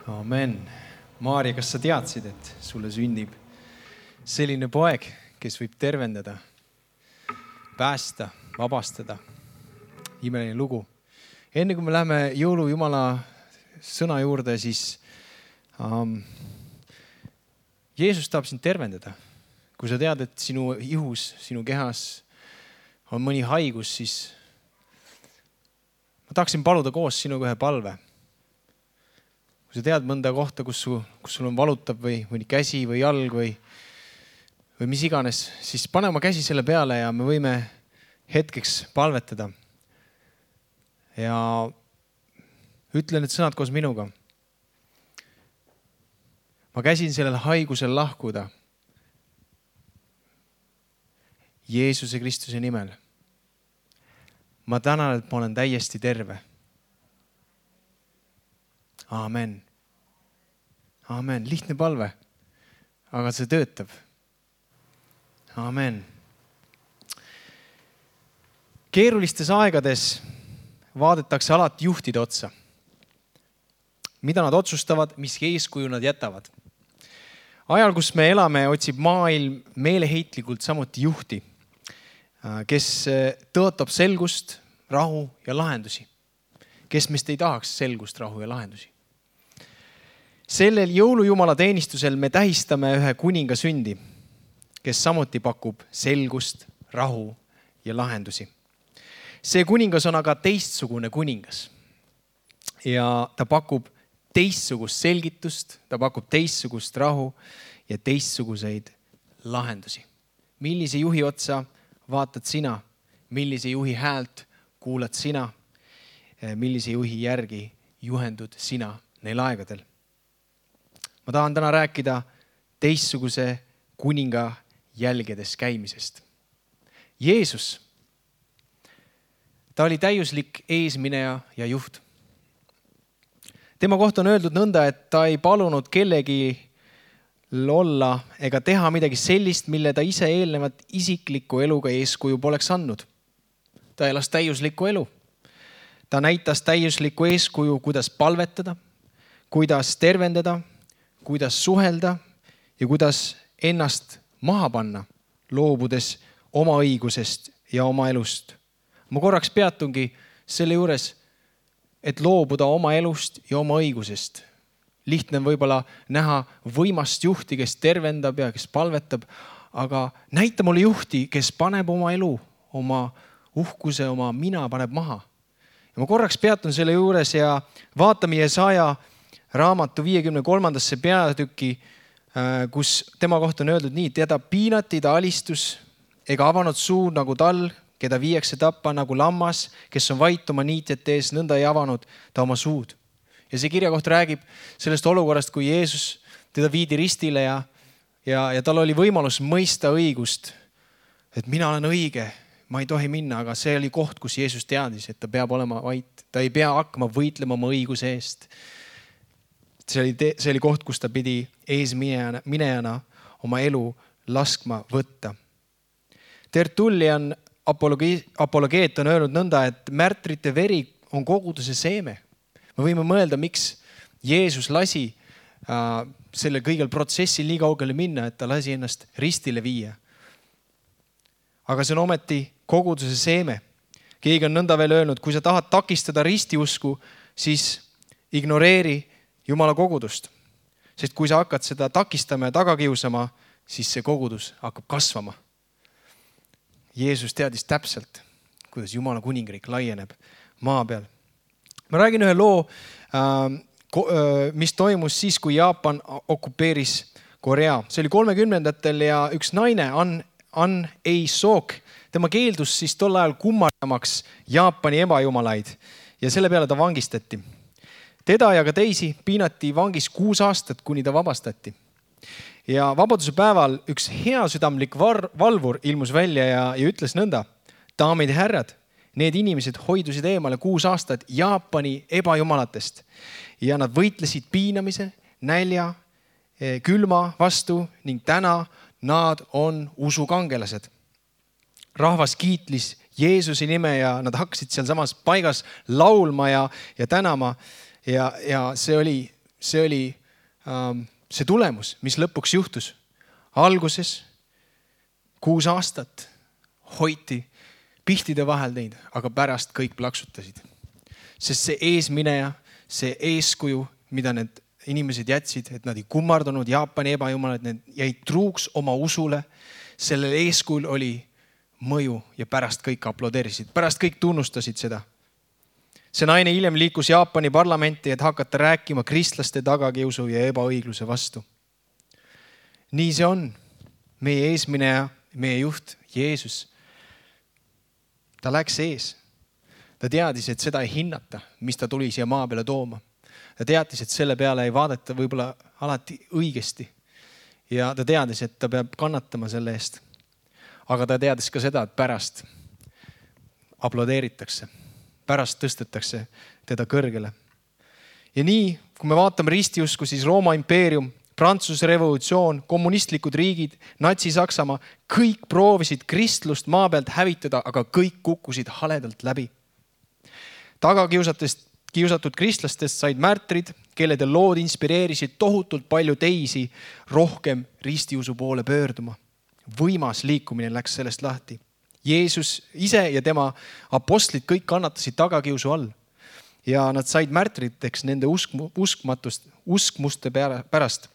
Amen. Maarja, kas sa teadsid, et sulle sünnib selline poeg, kes võib tervendada, päästa, vabastada? Imeline lugu. Enne kui me läheme jõulujumala sõna juurde, siis Jeesus tahab sind tervendada. Kui sa tead, et sinu ihus, sinu kehas on mõni haigus, siis ma tahaksin paluda koos sinuga ühe palve. Kui sa tead mõnda kohta, kus sul on valutab või mõni käsi või jalg või mis iganes, siis pane oma käsi selle peale ja me võime hetkeks palvetada. Ja ütle need sõnad koos minuga. Ma käsin sellel haigusel lahkuda Jeesuse Kristuse nimel. Ma tänan, et ma olen täiesti terve. Amen. Amen. Lihtne palve, aga see töötab. Amen. Keerulistes aegades vaadatakse alati juhtide otsa. Mida nad otsustavad, mis eeskuju nad jätavad. Ajal, kus me elame, otsib maailm meeleheitlikult samuti juhti, kes tõotab selgust, rahu ja lahendusi. Kes meist ei tahaks selgust, rahu ja lahendusi. Sellel jõulujumala teenistusel me tähistame ühe kuninga sündi, kes samuti pakub selgust, rahu ja lahendusi. See kuningas on aga teistsugune kuningas. Ja ta pakub teistsugust selgitust, ta pakub teistsugust rahu ja teistsuguseid lahendusi. Millise juhi otsa vaatad sina? Millise juhi häält kuulad sina? Millise juhi järgi juhendud sina neil aegadel? Ma tahan täna rääkida teistsuguse kuninga jälgedes käimisest. Jeesus, ta oli täiuslik eesmineja ja juht. Tema kohta on öeldud nõnda, et ta ei palunud kellegi olla ega teha midagi sellist, mille ta ise eelnevat isikliku eluga eeskuju poleks andnud. Ta elas täiuslikku elu. Ta näitas täiuslikku eeskuju, kuidas palvetada, kuidas tervendada, kuidas suhelda ja kuidas ennast maha panna, loobudes oma õigusest ja oma elust. Ma korraks peatungi selle juures, et loobuda oma elust ja oma õigusest. Lihtne on võib-olla näha võimast juhti, kes tervendab ja kes palvetab, aga näita mulle juhti, kes paneb oma elu, oma uhkuse, oma mina paneb maha. Ja ma korraks peatun selle juures ja vaatame Jesaja raamatu 53. peatüki, kus tema kohta on öeldud nii: teda piinati, ta alistus ega avanud suu nagu tal, keda viiakse tappa nagu lammas, kes on vait oma niitjate ees, nõnda ei avanud ta oma suud. Ja see kirjakoht räägib sellest olukorrast, kui Jeesus teda viidi ristile ja tal oli võimalus mõista õigust, et mina olen õige, ma ei tohi minna, aga see oli koht, kus Jeesus teadis, et ta peab olema vait. Ta ei pea hakkama võitlema oma õiguse eest. See oli koht, kus ta pidi eesminejana oma elu laskma võtta. Tertullian apologeet on öelnud nõnda, et märtrite veri on koguduse seeme. Me võime mõelda, miks Jeesus lasi selle kõigel protsessil nii kaugele minna, et ta lasi ennast ristile viia. Aga see on ometi koguduse seeme. Keegi on nõnda veel öelnud, kui sa tahad takistada ristiusku, siis ignoreeri Jumala kogudust. Sest kui sa hakkad seda takistama ja tagakiusama, siis see kogudus hakkab kasvama. Jeesus teadis täpselt, kuidas Jumala kuningriik laieneb maa peal. Ma räägin ühe loo, mis toimus siis, kui Jaapan okupeeris Korea. See oli 30-ndatel ja üks naine, An Ei-Sok, tema keeldus siis tol ajal kummardamaks Jaapani ebajumalaid ja selle peale ta vangistati. Teda ja ka teisi piinati vangis 6 aastat, kuni ta vabastati. Ja vabaduse päeval üks heasüdamlik valvur ilmus välja ja ütles nõnda: daamid ja härrad, need inimesed hoidusid eemale 6 aastat Jaapani ebajumalatest ja nad võitlesid piinamise, nälja, külma vastu ning täna nad on usukangelased. Rahvas kiitlis Jeesuse nime ja nad hakkasid seal samas paigas laulma ja tänama. Ja see oli see oli see tulemus, mis lõpuks juhtus. Alguses 6 aastat hoiti pihtide vahel neid, aga pärast kõik plaksutasid. Sest see eesmineja, see eeskuju, mida need inimesed jätsid, et nad ei kummardanud Jaapani ebajumalad, need jäid truuks oma usule. Sellel eeskujul oli mõju ja pärast kõik aplodeerisid, pärast kõik tunnustasid seda. See naine hiljem liikus Jaapani parlamenti, et hakata rääkima kristlaste tagakiusu ja ebaõigluse vastu. Nii see on. Meie eesmineja, meie juht, Jeesus, ta läks ees. Ta teadis, et seda ei hinnata, mis ta tuli siia maa peale tooma. Ta teadis, et selle peale ei vaadata võib-olla alati õigesti. Ja ta teadis, et ta peab kannatama selle eest. Aga ta teadis ka seda, et pärast aplodeeritakse. Pärast tõstetakse teda kõrgele. Ja nii, kui me vaatame ristiusku, siis Rooma impeerium, Prantsuse revolutsioon, kommunistlikud riigid, Natsi-Saksamaa, kõik proovisid kristlust maa pealt hävitada, aga kõik kukkusid haledalt läbi. Tagakiusatud kristlastest said märtrid, kellede lood inspireerisid tohutult palju teisi rohkem ristiusu poole pöörduma. Võimas liikumine läks sellest lahti. Jeesus ise ja tema apostlid kõik kannatasid tagakiusu all. Ja nad said märtriteks nende uskmuste pärast.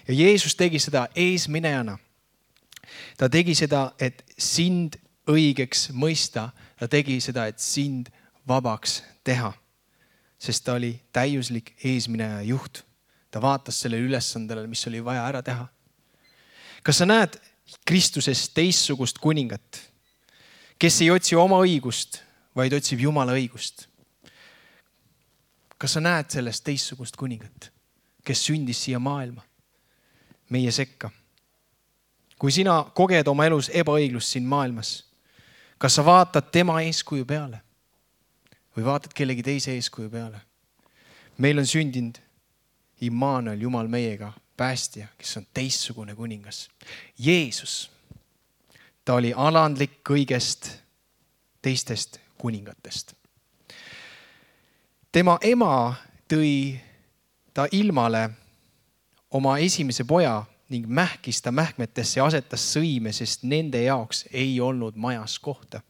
Ja Jeesus tegi seda eesminejana. Ta tegi seda, et sind õigeks mõista. Ta tegi seda, et sind vabaks teha. Sest ta oli täiuslik eesmineja juht. Ta vaatas selle ülesandele, mis oli vaja ära teha. Kas sa näed Kristuses teistsugust kuningat, kes ei otsi oma õigust, vaid otsib Jumala õigust? Kas sa näed sellest teistsugust kuningat, kes sündis siia maailma, meie sekka? Kui sina koged oma elus ebaõiglust siin maailmas, kas sa vaatad tema eeskuju peale või vaatad kellegi teise eeskuju peale? Meil on sündinud Immanuel, Jumal meiega, päästja, kes on teistsugune kuningas. Jeesus, ta oli alandlik kõigest teistest kuningatest. Tema ema tõi ta ilmale oma esimese poja ning mähkis ta mähkmetesse ja asetas sõime, sest nende jaoks ei olnud majas kohta.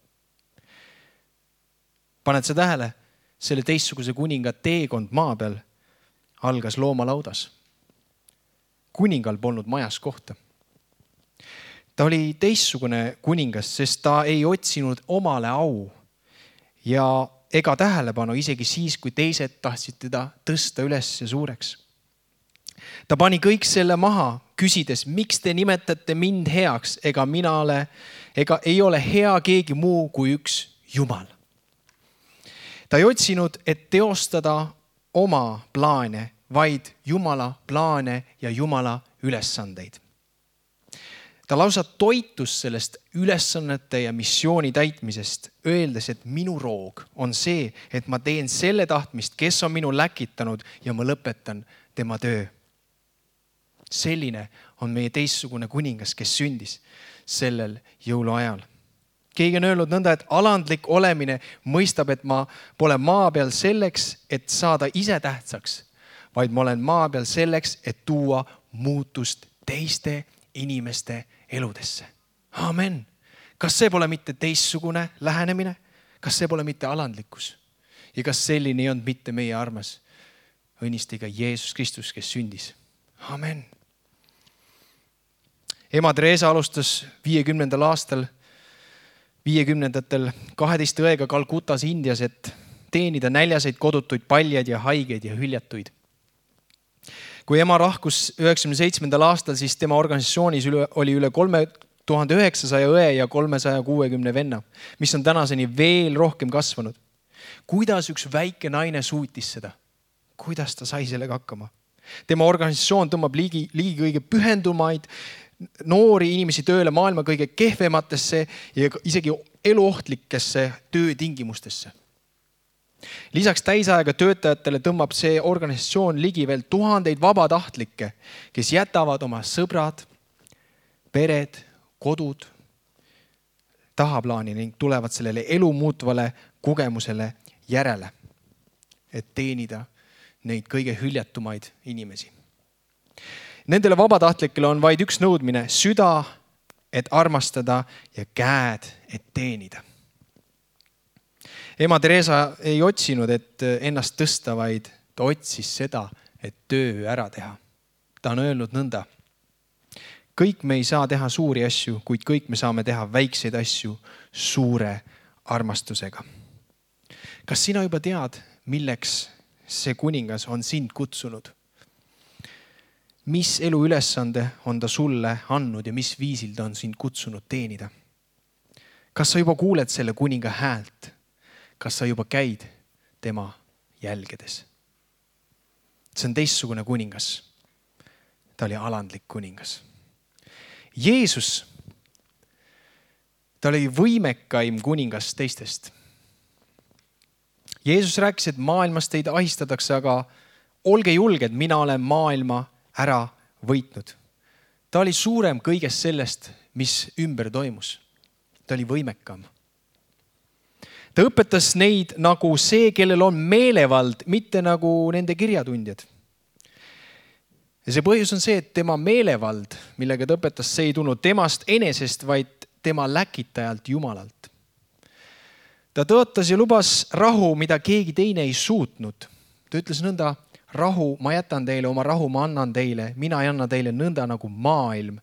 Paned sa tähele, selle teistsuguse kuninga teekond maa peal algas loomalaudas. Kuningal polnud majas kohta. Ta oli teistsugune kuningas, sest ta ei otsinud omale au ja ega tähelepanu isegi siis, kui teised tahtsid teda tõsta üles ja suureks. Ta pani kõik selle maha, küsides, miks te nimetate mind heaks, ega ei ole hea keegi muu kui üks Jumal. Ta ei otsinud, et teostada oma plaane, vaid Jumala plaane ja Jumala ülesandeid. Ta lausa toitus sellest ülesannete ja missiooni täitmisest, öeldes, et minu roog on see, et ma teen selle tahtmist, kes on minu läkitanud ja ma lõpetan tema töö. Selline on meie teistsugune kuningas, kes sündis sellel jõuluajal. Keegi on öelnud nõnda, et alandlik olemine mõistab, et ma pole maa peal selleks, et saada ise tähtsaks, vaid ma olen maa peal selleks, et tuua muutust teiste inimeste eludesse. Amen. Kas see pole mitte teistsugune lähenemine? Kas see pole mitte alandlikkus? Ja kas selline ei olnud mitte meie armas õnnistiga Jeesus Kristus, kes sündis? Amen. Ema Teresa alustas 50. aastal 12 õega Kalkutas Indias, et teenida näljaseid, kodutuid, paljaid ja haigeid ja hüljatuid. Kui ema lahkus 97. aastal, siis tema organisatsioonis oli üle 3900 õe ja 360 venna, mis on tänaseni veel rohkem kasvanud. Kuidas üks väike naine suutis seda? Kuidas ta sai sellega hakkama? Tema organisatsioon tõmbab liigi kõige pühendumaid noori inimesi tööle maailma kõige kehvematesse ja isegi eluohtlikesse töötingimustesse. Lisaks täisaega töötajatele tõmbab see organisatsioon ligi veel tuhandeid vabatahtlikke, kes jätavad oma sõbrad, pered, kodud tahaplaani ning tulevad sellele elu muutvale kogemusele järele, et teenida neid kõige hüljetumaid inimesi. Nendele vabatahtlikele on vaid üks nõudmine: süda, et armastada, ja käed, et teenida. Ema Teresa ei otsinud, et ennast tõsta, vaid ta otsis seda, et töö ära teha. Ta on öelnud nõnda: kõik me ei saa teha suuri asju, kuid kõik me saame teha väikseid asju suure armastusega. Kas sina juba tead, milleks see kuningas on sind kutsunud? Mis elu ülesande on ta sulle andnud ja mis viisil ta on sind kutsunud teenida? Kas sa juba kuuled selle kuninga häält? Kas sa juba käid tema jälgedes? See on teistsugune kuningas. Ta oli alandlik kuningas. Jeesus, ta oli võimekaim kuningas teistest. Jeesus rääkis, et maailmas teid ahistatakse, aga olge julged, mina olen maailma ära võitnud. Ta oli suurem kõigest sellest, mis ümber toimus. Ta oli võimekam. Ta õpetas neid nagu see, kellel on meelevald, mitte nagu nende kirjatundjad. Ja see põhjus on see, et tema meelevald, millega ta õpetas, see ei tulnud temast enesest, vaid tema läkitajalt Jumalalt. Ta tõotas ja lubas rahu, mida keegi teine ei suutnud. Ta ütles nõnda: rahu ma jätan teile, oma rahu ma annan teile. Mina ei anna teile nõnda, nagu maailm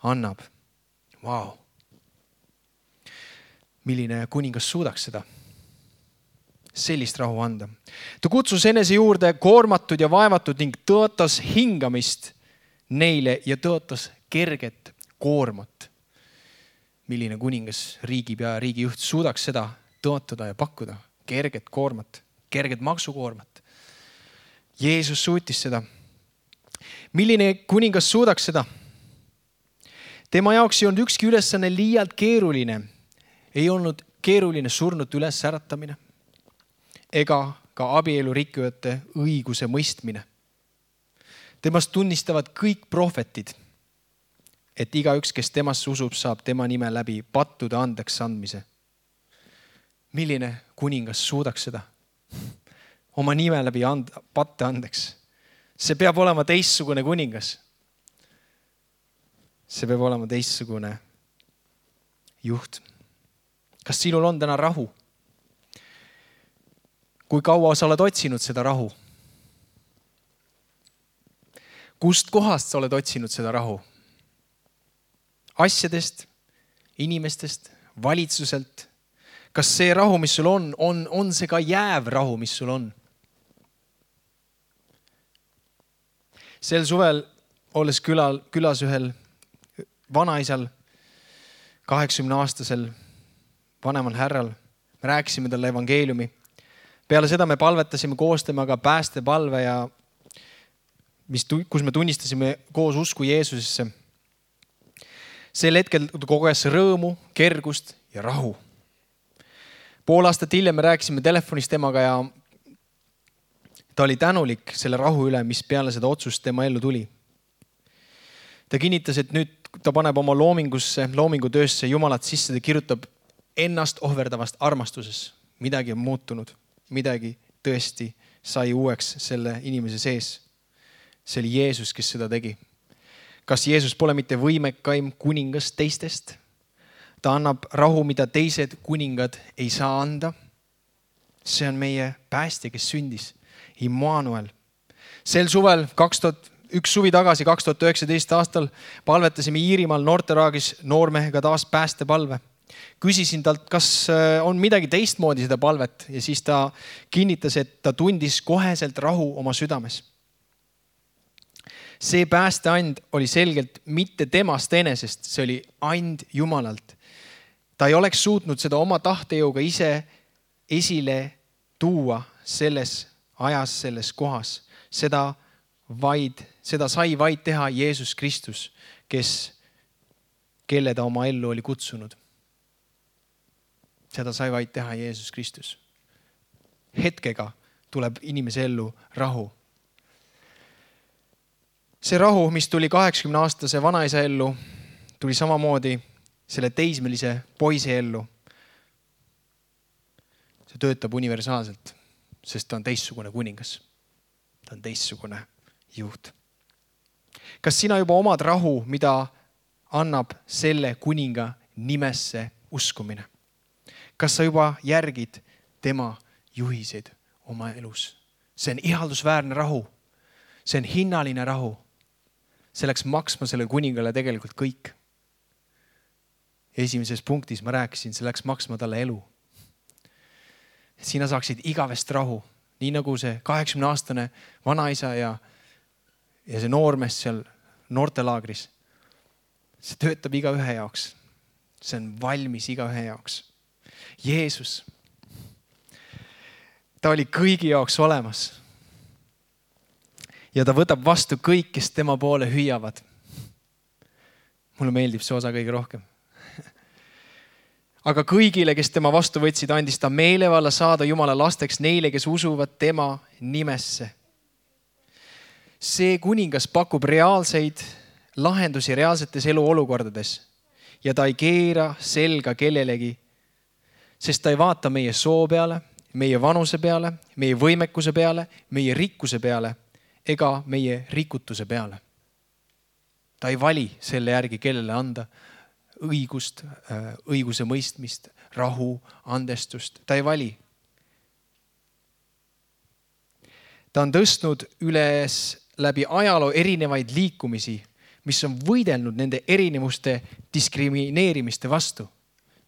annab. Vau! Milline kuningas suudaks seda? Sellist rahu anda. Ta kutsus enese juurde koormatud ja vaevatud ning tõotas hingamist neile ja tõotas kerget koormat. Milline kuningas, riigipea ja riigijuht suudaks seda tõotada ja pakkuda? Kerget koormat, kerget maksukoormat. Jeesus suutis seda. Milline kuningas suudaks seda? Tema jaoks ei olnud ükski ülesanne liialt keeruline. Ei olnud keeruline surnut üles äratamine ega ka abielu rikkujate õiguse mõistmine. Temast tunnistavad kõik prohvetid, et igaüks, kes temasse usub, saab tema nime läbi pattude andeks andmise. Milline kuningas suudaks seda? Oma nime läbi patte andeks. See peab olema teistsugune kuningas. See peab olema teistsugune juht. Kas sinul on täna rahu? Kui kaua sa oled otsinud seda rahu? Kust kohast sa oled otsinud seda rahu? Asjadest, inimestest, valitsuselt? Kas see rahu, mis sul on see ka jääv rahu, mis sul on? Sel suvel, olles külas ühel vanaisal, 80-aastasel vanemal härral, me rääkisime talle evangeeliumi. Peale seda me palvetasime koos temaga päästepalve, kus me tunnistasime koos usku Jeesusesse. Sel hetkel koges rõõmu, kergust ja rahu. Pool aastat hiljem me rääkisime telefonis temaga ja ta oli tänulik selle rahu üle, mis peale seda otsust tema ellu tuli. Ta kinnitas, et nüüd ta paneb oma loomingutöösse Jumalat sisse, ta kirjutab ennast ohverdavast armastuses. Midagi on muutunud, midagi tõesti sai uueks selle inimese sees. See oli Jeesus, kes seda tegi. Kas Jeesus pole mitte võimekaim kuningas teistest? Ta annab rahu, mida teised kuningad ei saa anda. See on meie päästja, kes sündis. Immanuel. Sel suvel, üks suvi tagasi, 2019 aastal, palvetasime Iirimaal Norteraagis noormehega taas päästepalve. Küsisin talt, kas on midagi teistmoodi seda palvet ja siis ta kinnitas, et ta tundis koheselt rahu oma südames. See päästeand oli selgelt mitte temast enesest, see oli and Jumalalt. Ta ei oleks suutnud seda oma tahtejõuga ise esile tuua selles ajas, selles kohas. Seda sai vaid teha Jeesus Kristus, kelle ta oma ellu oli kutsunud. Seda sai vaid teha Jeesus Kristus. Hetkega tuleb inimese ellu rahu. See rahu, mis tuli 80-aastase vanaisa ellu, tuli samamoodi selle teismelise poisi ellu. See töötab universaalselt, sest ta on teistsugune kuningas. ta on teistsugune juht. Kas sina juba omad rahu, mida annab selle kuninga nimesse uskumine? Kas sa juba järgid tema juhiseid oma elus? See on ihaldusväärne rahu. See on hinnaline rahu. See läks maksma selle kuningale tegelikult kõik. Esimeses punktis ma rääkisin, see läks maksma talle elu. Sina saaksid igavest rahu, nii nagu see 80-aastane vanaisa ja see noormees seal noortelaagris. See töötab igaühe jaoks. See on valmis igaühe jaoks. Jeesus, ta oli kõigi jaoks olemas. Ja ta võtab vastu kõik, kes tema poole hüüavad. Mulle meeldib see osa kõige rohkem. Aga kõigile, kes tema vastu võtsid, andis ta meelevalla saada Jumala lasteks neile, kes usuvad tema nimesse. See kuningas pakub reaalseid lahendusi reaalsetes eluolukordades ja ta ei keera selga kellelegi, sest ta ei vaata meie soo peale, meie vanuse peale, meie võimekuse peale, meie rikkuse peale ega meie rikutuse peale. Ta ei vali selle järgi, kellele anda õigust, õiguse mõistmist, rahu, andestust. Ta ei vali. Ta on tõstnud üles läbi ajaloo erinevaid liikumisi, mis on võidelnud nende erinevuste diskrimineerimiste vastu,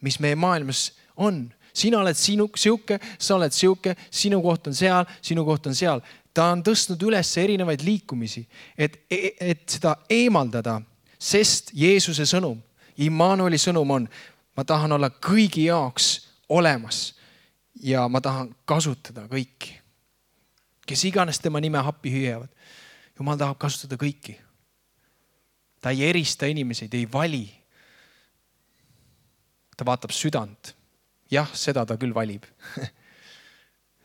mis meie maailmas on. Sina oled siuke, sa oled siuke, sinu koht on seal, sinu koht on seal. Ta on tõstnud üles erinevaid liikumisi, et seda eemaldada, sest Jeesuse sõnum, Immanueli sõnum on, ma tahan olla kõigi jaoks olemas ja ma tahan kasutada kõiki. Kes iganes tema nime happi hüüavad. Jumal tahab kasutada kõiki. Ta ei erista inimesi, ta ei vali. Ta vaatab südant. Jah, seda ta küll valib.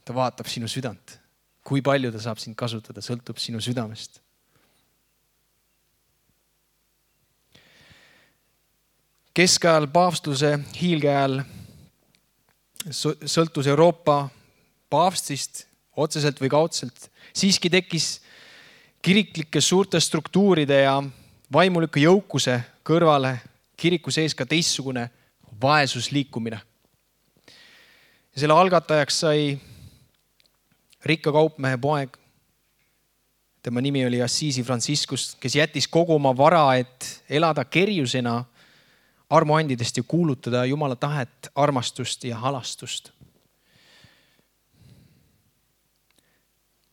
Ta vaatab sinu südant. Kui palju ta saab sind kasutada, sõltub sinu südamest. Keskajal paavstuse hiilge ajal sõltus Euroopa paavstist otseselt või kaudselt. Siiski tekkis kiriklike suurte struktuuride ja vaimulike jõukuse kõrvale kiriku sees ka teistsugune vaesusliikumine. Ja selle algatajaks sai rikka kaupmehe poeg. Tema nimi oli Assisi Franciscus, kes jättis kogu oma vara, et elada kerjusena armuandidest ja kuulutada Jumala tahet, armastust ja halastust.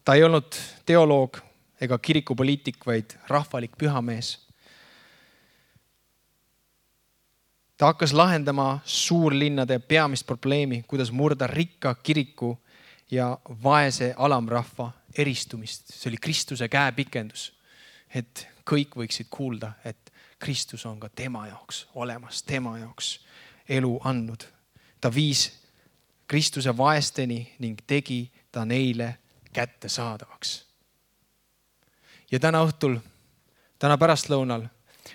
Ta ei olnud teoloog ega kirikupoliitik, vaid rahvalik pühamees. Ta hakkas lahendama suurlinnade peamist probleemi, kuidas murda rikka kiriku ja vaese alamrahva eristumist. See oli Kristuse käepikendus, et kõik võiksid kuulda, et Kristus on ka tema jaoks olemas, tema jaoks elu andnud. Ta viis Kristuse vaesteni ning tegi ta neile kätte saadavaks. Ja täna õhtul, täna pärastlõunal,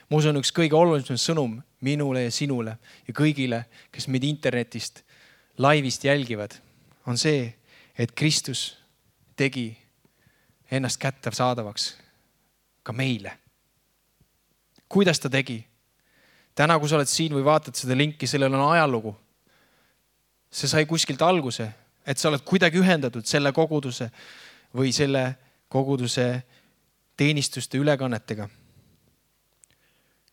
ma usun üks kõige olulisem sõnum minule ja sinule ja kõigile, kes meid internetist laivist jälgivad, on see, et Kristus tegi ennast kätte saadavaks ka meile. Kuidas ta tegi? Täna, kui sa oled siin või vaatad seda linki, sellel on ajalugu. See sai kuskilt alguse, et sa oled kuidagi ühendatud selle koguduse või selle koguduse teenistuste ülekannetega.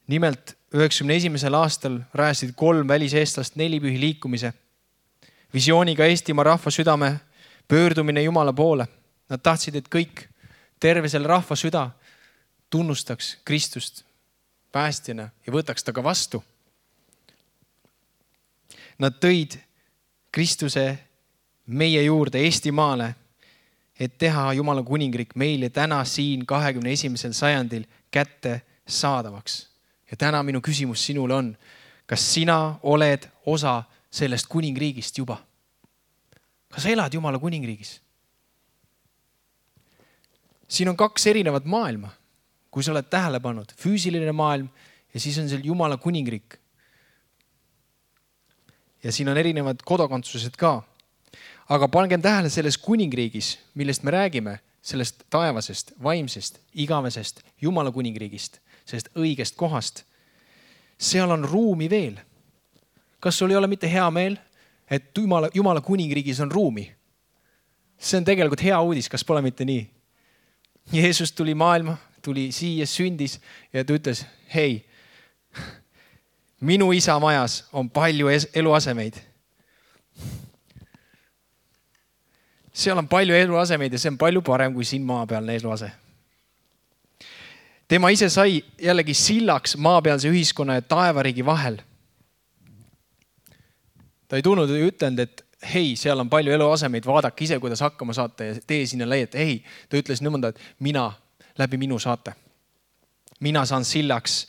Nimelt 91. aastal rajasid 3 väliseestlast 4 pühi liikumise. Visiooniga Eestimaa rahva südame pöördumine Jumala poole. Nad tahtsid, et kõik terve selle rahva süda tunnustaks Kristust päästjana ja võtaks ta ka vastu. Nad tõid Kristuse meie juurde Eestimaale, et teha Jumala kuningriik meile täna siin 21. sajandil kätte saadavaks. Ja täna minu küsimus sinule on, kas sina oled osa sellest kuningriigist juba? Kas sa elad Jumala kuningriigis? Siin on 2 erinevat maailma. Kui sa oled tähele pannud, füüsiline maailm ja siis on seal Jumala kuningriik. Ja siin on erinevad kodakondsused ka. Aga pangem tähele selles kuningriigis, millest me räägime, sellest taevasest, vaimsest, igavesest Jumala kuningriigist, sellest õigest kohast, seal on ruumi veel. Kas sul ei ole mitte hea meel, et Jumala kuningriigis on ruumi? See on tegelikult hea uudis, kas pole mitte nii? Jeesus tuli maailma, tuli siia, sündis ja ta ütles, hei, minu isa majas on palju eluasemeid. Seal on palju eluasemeid ja see on palju parem kui siin maapealne eluase. Tema ise sai jällegi sillaks maapealse ühiskonna ja taevariigi vahel. Ta ei tulnud ja ütlenud, et hei, seal on palju eluasemeid, vaadake ise, kuidas hakkama saate ja tee sinna leiete. Ei, ta ütles nõnda, et läbi minu saate. Mina saan sillaks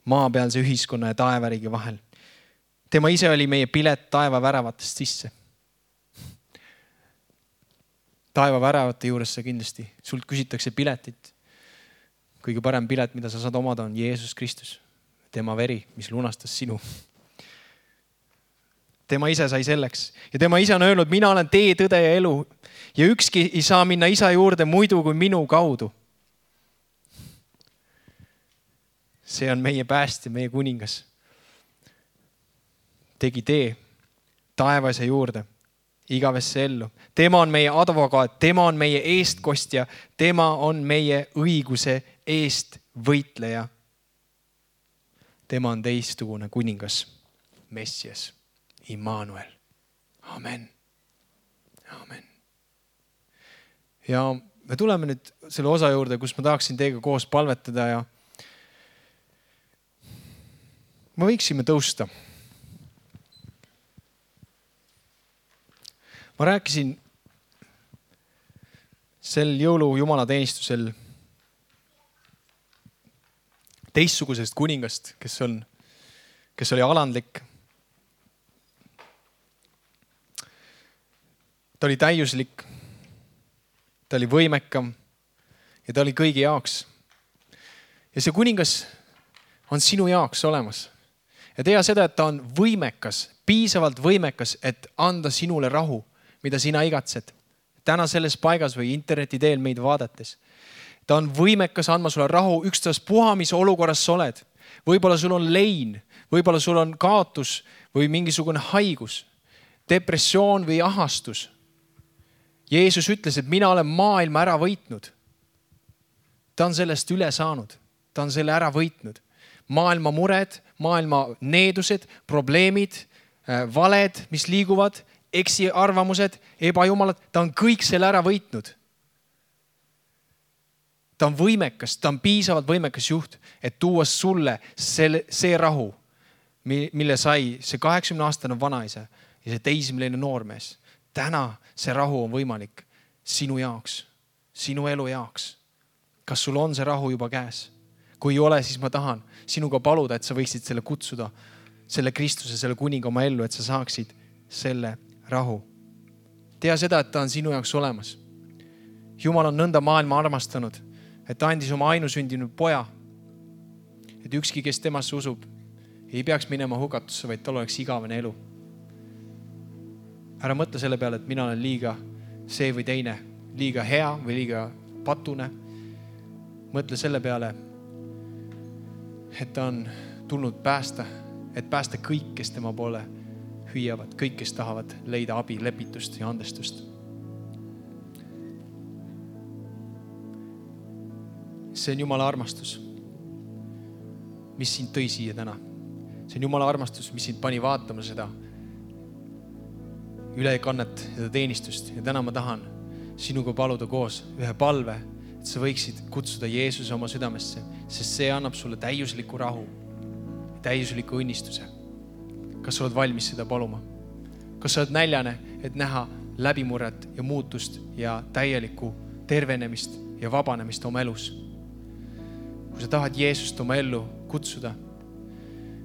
maapealse ühiskonna ja taevariigi vahel. Tema ise oli meie pilet taeva väravatest sisse. Taeva väravate juures sa kindlasti, sult küsitakse piletit. Kõige parem pilet, mida sa saad omada, on Jeesus Kristus. Tema veri, mis lunastas sinu. Tema ise sai selleks. Ja tema ise on öelnud, mina olen tee, tõde ja elu. Ja ükski ei saa minna isa juurde muidu kui minu kaudu. See on meie päästja, meie kuningas. Tegi tee taevase juurde, igavesse ellu. Tema on meie advokaat, tema on meie eestkostja, tema on meie õiguse eest võitleja. Tema on teistugune kuningas, Messias, Immanuel. Amen. Amen. Ja me tuleme nüüd selle osa juurde, kus ma tahaksin teiega koos palvetada ja me võiksime tõusta. Ma rääkisin sel jõulu jumalateenistusel teistsugusest kuningast, kes oli alandlik. Ta oli täiuslik, ta oli võimekam ja ta oli kõigi jaoks. Ja see kuningas on sinu jaoks olemas. Ja tea seda, et ta on võimekas, piisavalt võimekas, et anda sinule rahu, mida sina igatsed. Täna selles paigas või interneti teel meid vaadates. Ta on võimekas andma sulle rahu, ükstaspuha, mis olukorras sa oled. Võib-olla sul on lein, võib-olla sul on kaotus või mingisugune haigus, depressioon või ahastus. Jeesus ütles, et mina olen maailma ära võitnud. Ta on sellest üle saanud. Ta on selle ära võitnud. Maailma mured, maailma needused, probleemid, valed, mis liiguvad, eksiarvamused, ebajumalad, ta on kõik selle ära võitnud. Ta on võimekas, ta on piisavalt võimekas juht, et tuua sulle see rahu, mille sai see 80-aastane vanaisa ja see teismeline noormees. Täna see rahu on võimalik sinu jaoks, sinu elu jaoks. Kas sul on see rahu juba käes? Kui ei ole, siis ma tahan sinuga paluda, et sa võiksid selle kutsuda, selle Kristuse, selle kuninga oma ellu, et sa saaksid selle rahu. Tea seda, et ta on sinu jaoks olemas. Jumal on nõnda maailma armastanud, et ta andis oma ainusündinud poja, et ükski, kes temasse usub, ei peaks minema hukatusse, vaid tal oleks igavene elu. Ära mõtle selle peale, et mina olen liiga see või teine, liiga hea või liiga patune. Mõtle selle peale, et ta on tulnud päästa, et päästa kõik, kes tema poole hüüavad, kõik, kes tahavad leida abi, lepitust ja andestust. See on Jumala armastus, mis sind tõi siia täna. See on Jumala armastus, mis sind pani vaatama seda ülekannet, seda teenistust. Ja täna ma tahan sinuga paluda koos ühe palve, et sa võiksid kutsuda Jeesuse oma südamesse, sest see annab sulle täiusliku rahu, täiusliku õnnistuse. Kas sa oled valmis seda paluma? Kas sa oled näljane, et näha läbimurret ja muutust ja täielikku tervenemist ja vabanemist oma elus? Kui sa tahad Jeesust oma ellu kutsuda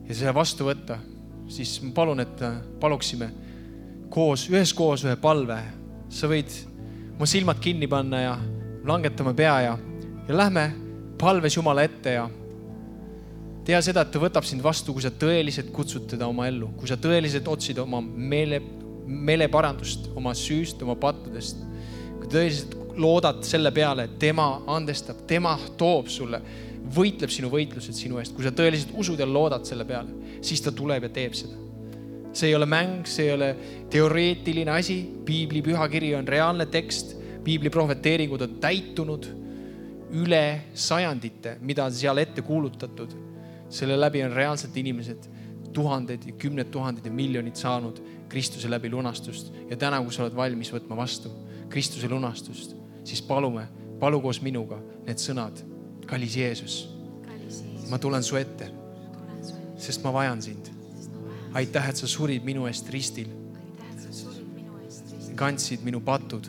ja selle vastu võtta, siis ma palun, et paluksime üheskoos ühe palve. Sa võid oma silmad kinni panna ja langetame pea ja lähme palves Jumala ette ja tea seda, et ta võtab sind vastu, kui sa tõeliselt kutsud teda oma ellu, kui sa tõeliselt otsid oma meeleparandust, oma süüst, oma pattudest, kui tõeliselt loodad selle peale, et tema andestab, tema toob sulle, võitleb sinu võitlused sinu eest. Kui sa tõeliselt usud ja loodad selle peale, siis ta tuleb ja teeb seda. See ei ole mäng, see ei ole teoreetiline asi. Piibli pühakiri on reaalne tekst. Piibli prohveteeringud on täitunud üle sajandite, mida seal ette kuulutatud. Selle läbi on reaalselt inimesed tuhanded ja kümned tuhanded ja miljonid saanud Kristuse läbi lunastust. Ja täna, kui sa oled valmis võtma vastu Kristuse lunastust, siis palu koos minuga need sõnad. Kallis Jeesus, ma tulen su ette, sest ma vajan sind. Aitäh, et sa surid minu eest ristil. Kandsid minu patud.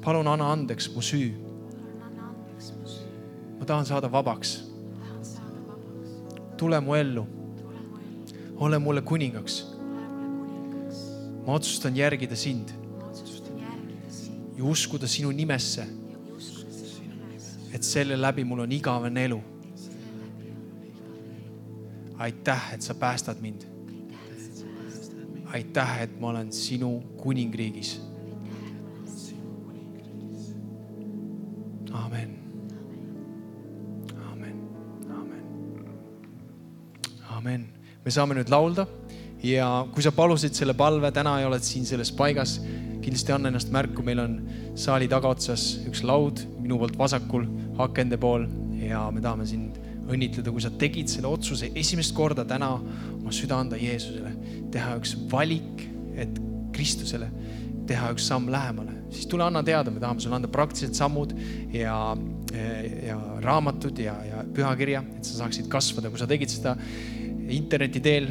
Palun anna andeks mu süü. Ma tahan saada vabaks. Tule mu ellu. Ole mulle kuningaks. Ma otsustan järgida sind ja uskuda sinu nimesse, et selle läbi mul on igavene elu. Aitäh, et sa päästad mind. Aitäh, et ma olen sinu kuningriigis. Amen. Amen. Amen. Amen. Me saame nüüd laulda ja kui sa palusid selle palve, täna ei oled siin selles paigas, kindlasti anna ennast märku, meil on saali tagaotsas üks laud minu poolt vasakul, akende pool ja me tahame sind õnnitleda, kui sa tegid selle otsuse esimest korda täna oma süda anda Jeesusele, teha üks valik, et Kristusele teha üks samm lähemale, siis tule anna teada, me tahame sulle anda praktilised sammud ja raamatud ja pühakirja, et sa saaksid kasvada. Kui sa tegid seda interneti teel,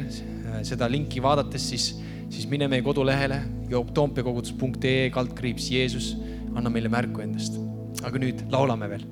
seda linki vaadates, siis mine meie kodulehele toompeakogutus.ee/Jeesus, anna meile märku endast. Aga nüüd laulame veel.